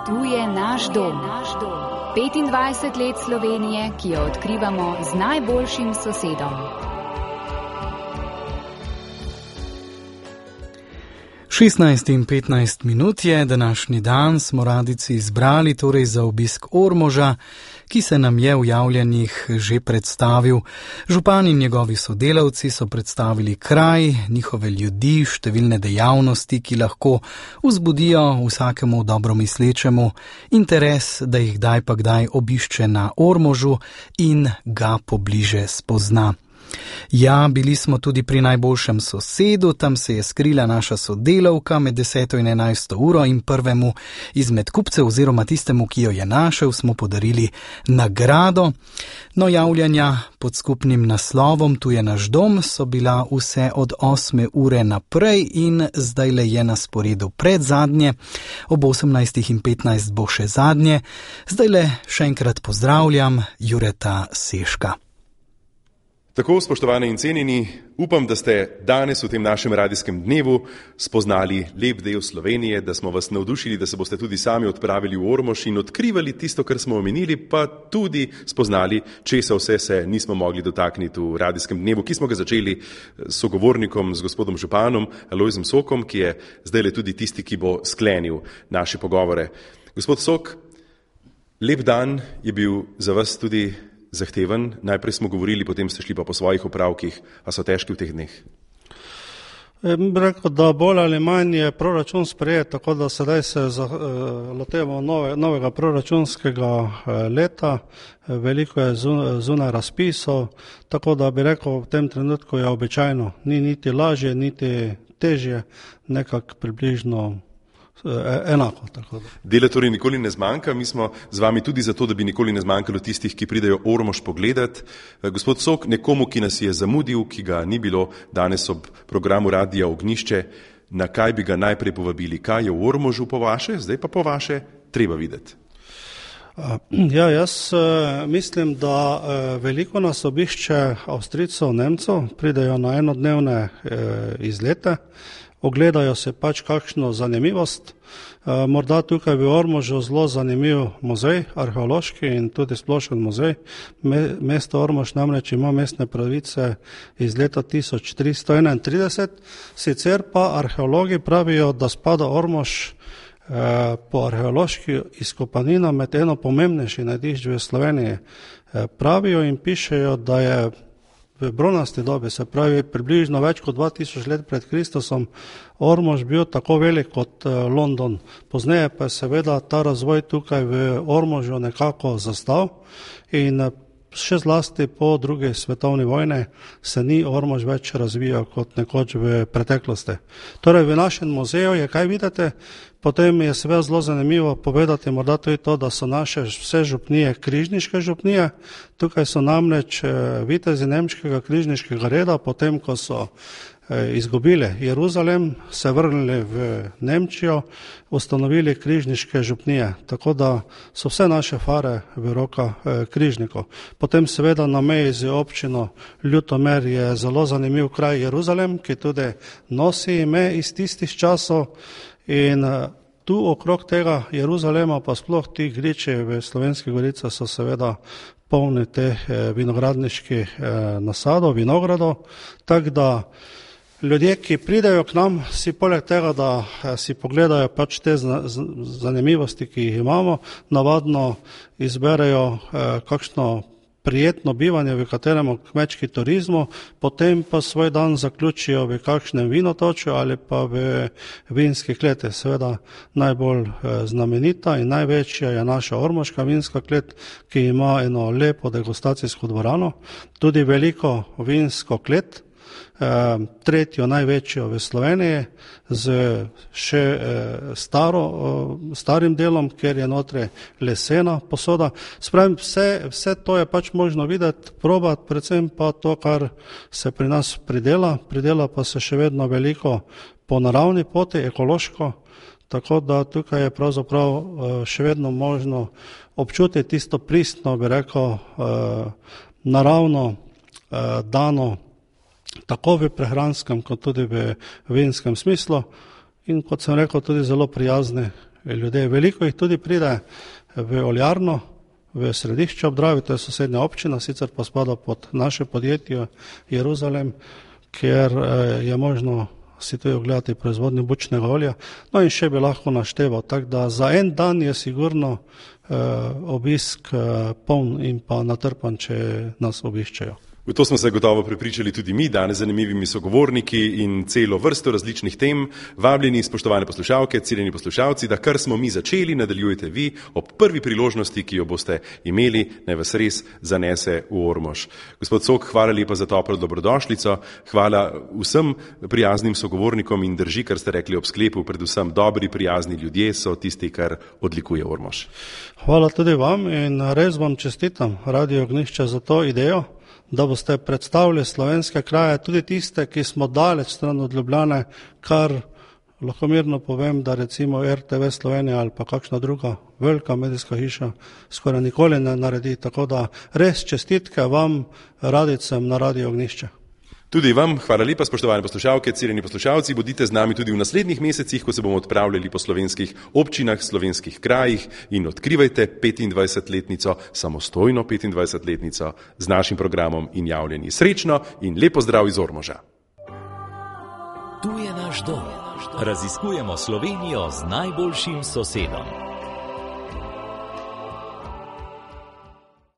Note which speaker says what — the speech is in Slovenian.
Speaker 1: Tu je naš dom. 25 let Slovenije, ki jo odkrivamo z najboljšim sosedom.
Speaker 2: 16:15 je današnji dan, smo radijci izbrali torej za obisk Ormoža, ki se nam je v javljanjih že predstavil. Župan in njegovi sodelavci so predstavili kraj, njihove ljudi, številne dejavnosti, ki lahko vzbudijo vsakemu dobromislečemu interes, da jih kdaj pa kdaj obišče na Ormožu in ga pobliže spozna. Ja, bili smo tudi pri najboljšem sosedu, tam se je skrila naša sodelavka med 10. in 11. uro in prvemu izmed kupcev oziroma tistemu, ki jo je našel, smo podarili nagrado. No, javljanja pod skupnim naslovom Tu je naš dom so bila vse od 8. ure naprej in zdajle je na sporedu predzadnje, ob 18:15 bo še zadnje. Zdajle še enkrat pozdravljam Jureta Seška.
Speaker 3: Tako, spoštovani in cenjeni, upam, da ste danes v tem našem radijskem dnevu spoznali lep del Slovenije, da smo vas navdušili, da se boste tudi sami odpravili v Ormož in odkrivali tisto, kar smo omenili, pa tudi spoznali, česa vse se nismo mogli dotakniti v radijskem dnevu, ki smo ga začeli s sogovornikom, z gospodom županom Alojzem Sokom, ki je zdajle tudi tisti, ki bo sklenil naše pogovore. Gospod Sok, lep dan je bil za vas tudi zahteven. Najprej smo govorili, potem ste šli pa po svojih opravkih. A so težki v teh dneh?
Speaker 4: Rekel, da bolj ali manj je proračun sprejet, tako da sedaj se lotevamo novega proračunskega leta. Veliko je zunaj razpisov, tako da bi rekel, v tem trenutku je običajno. Ni niti lažje, niti težje, nekako približno enako. Tako da.
Speaker 3: Dela torej nikoli ne zmanjka, mi smo z vami tudi zato, da bi nikoli ne zmanjkalo tistih, ki pridejo Ormož pogledat. Gospod Sok, nekomu, ki nas je zamudil, ki ga ni bilo danes ob programu Radija Ognjišče, na kaj bi ga najprej povabili? Kaj je v Ormožu po vaše, zdaj pa po vaše, treba videti?
Speaker 4: Ja, jaz mislim, da veliko nas obišče Avstrijcev, Nemcev, pridejo na enodnevne izlete, ogledajo se pač kakšno zanimivost. Morda tukaj v Ormožu zelo zanimiv muzej, arheološki in tudi splošen muzej. Mesto Ormož namreč ima mestne pravice iz leta 1331, sicer pa arheologi pravijo, da spada Ormož po arheološki izkopanina med eno pomembnejših najdišč v Sloveniji. Pravijo in pišejo, da je v bronasti dobi, se pravi približno več kot 2000 let pred Kristusom, Ormož bil tako velik kot London. Pozneje pa je seveda ta razvoj tukaj v Ormožu nekako zastal in še zlasti po drugi svetovni vojni se ni Ormož več razvijal kot nekoč v preteklosti. Torej v našem muzeju je kaj vidite, potem je seveda zelo zanimivo povedati morda tudi to, da so naše vse župnije križniške župnije. Tukaj so namreč vitezi nemškega križniškega reda, potem ko so izgubili Jeruzalem, se vrnili v Nemčijo, ustanovili križniške župnije, tako da so vse naše fare v rokah križnikov. Potem seveda na meji z občino Ljutomer je zelo zanimiv kraj Jeruzalem, ki tudi nosi ime iz tistih časov in tu okrog tega Jeruzalema pa sploh ti griči v Slovenskih goricah so seveda polni teh vinogradniških nasadov, vinogradov, tako da ljudje, ki pridejo k nam, si poleg tega, da si pogledajo pač te zanimivosti, ki jih imamo, navadno izberejo kakšno prijetno bivanje, v katerem kmečki turizmu, potem pa svoj dan zaključijo v kakšnem vinotočju ali pa v vinski kleti. Seveda najbolj znamenita in največja je naša ormoška vinska klet, ki ima eno lepo degustacijsko dvorano, tudi veliko vinsko klet, tretjo največjo v Sloveniji, z še starim delom, kjer je notri lesena posoda. Spravim, vse to je pač možno videti, probati, predvsem pa to, kar se pri nas pridela pa se še vedno veliko po naravni poti, ekološko, tako da tukaj je pravzaprav še vedno možno občutiti tisto pristno, bi rekel, naravno dano, tako v prehranskem, kot tudi v vinskem smislu in kot sem rekel, tudi zelo prijazni ljudje. Veliko jih tudi pride v oljarno, v središče ob Dravi, to je sosednja občina, sicer pa spada pod naše podjetje Jeruzalem, kjer je možno si tudi ogledati proizvodnjo bučnega olja. No in še bi lahko našteval, tako da za en dan je sigurno obisk poln in pa natrpan, če nas obiščejo.
Speaker 3: V to smo se gotovo prepričali tudi mi, danes zanimivimi sogovorniki in celo vrsto različnih tem. Vabljeni, spoštovane poslušalke, ciljeni poslušalci, da kar smo mi začeli, nadaljujete vi ob prvi priložnosti, ki jo boste imeli, naj vas res zanese v Ormož. Gospod Sok, hvala lepa za toplo dobrodošlico, hvala vsem prijaznim sogovornikom in drži, kar ste rekli ob sklepu, predvsem dobri, prijazni ljudje so tisti, kar odlikuje Ormož.
Speaker 4: Hvala tudi vam in res vam čestitam, Radio Ognjišče, za to idejo, da boste predstavili slovenske kraje, tudi tiste, ki smo daleč stran od Ljubljane, kar lahko mirno povem, da recimo RTV Slovenija ali pa kakšna druga velika medijska hiša skoraj nikoli ne naredi, tako da res čestitke vam, radicem na Radio Ognjišče.
Speaker 3: Tudi vam, hvala lepa, spoštovane poslušalke, ciljeni poslušalci, bodite z nami tudi v naslednjih mesecih, ko se bomo odpravljali po slovenskih občinah, slovenskih krajih in odkrivajte 25-letnico, samostojno 25-letnico z našim programom in javljenji. Srečno in lepo zdrav iz Ormoža.
Speaker 5: Tu je naš dom. Raziskujemo Slovenijo z najboljšim sosedom.